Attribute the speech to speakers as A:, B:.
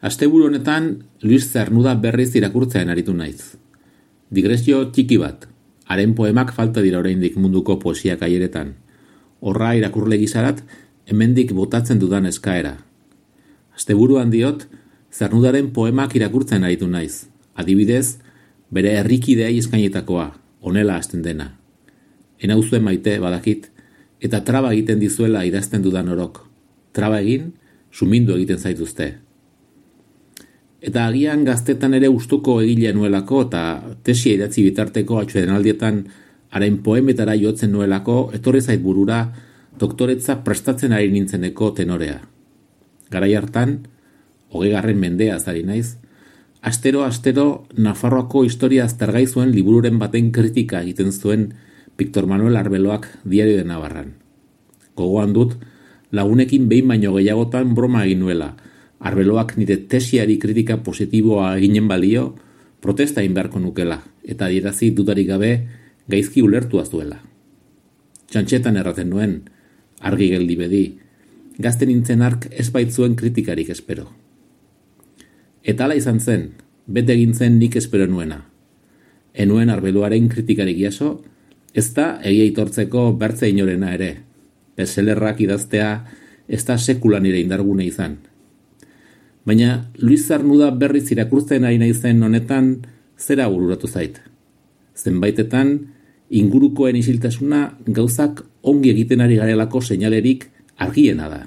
A: Asteburu honetan, Luis Cernuda berriz irakurtzean aritu naiz. Digresio txiki bat, haren poemak falta dira oraindik munduko poesia kaieretan. Horra irakurle gizarat, hemendik botatzen dudan eskaera. Asteburuan diot, Zernudaren poemak irakurtzen aritu naiz. Adibidez, bere herrikideei eskainetakoa, honela hasten dena. Enauzue maite badakit, eta traba egiten dizuela idazten dudan orok. Traba egin, sumindu egiten zaituzte. Eta agian gaztetan ere gustuko egile nuelako eta tesia idatzi bitarteko atsedenaldietan haren poemetara jotzen nuelako etorri zait burura doktoretza prestatzen ari nintzeneko tenorea. Garai hartan, 20. mendeaz ari naiz, astero Nafarroako historia aztergai zuen libururen baten kritika egiten zuen Victor Manuel Arbeloak Diario de Navarran. Gogoan dut, lagunekin behin baino gehiagotan broma egin nuela, Arbeloak nire tesiari kritika positiboa eginen balio, protesta egin beharko nukela, eta adierazi dudarik gabe gaizki ulertua zuela. Txantxetan erraten nuen, argi geldi bedi, gazte nintzen ark ez baitzuen kritikarik espero. Eta hala izan zen, bete egin zen nik espero nuena. Enuen Arbeloaren kritikarik jaso, ez da egia itortzeko bertze inorena ere. Bestsellerrak idaztea ez da sekula nire indargune izan. Baina Luis Cernuda berriz irakurtzen ari naizen honetan zera bururatu zait. Zenbaitetan, ingurukoen isiltasuna gauzak ongi egiten ari garelako seinalerik argiena da.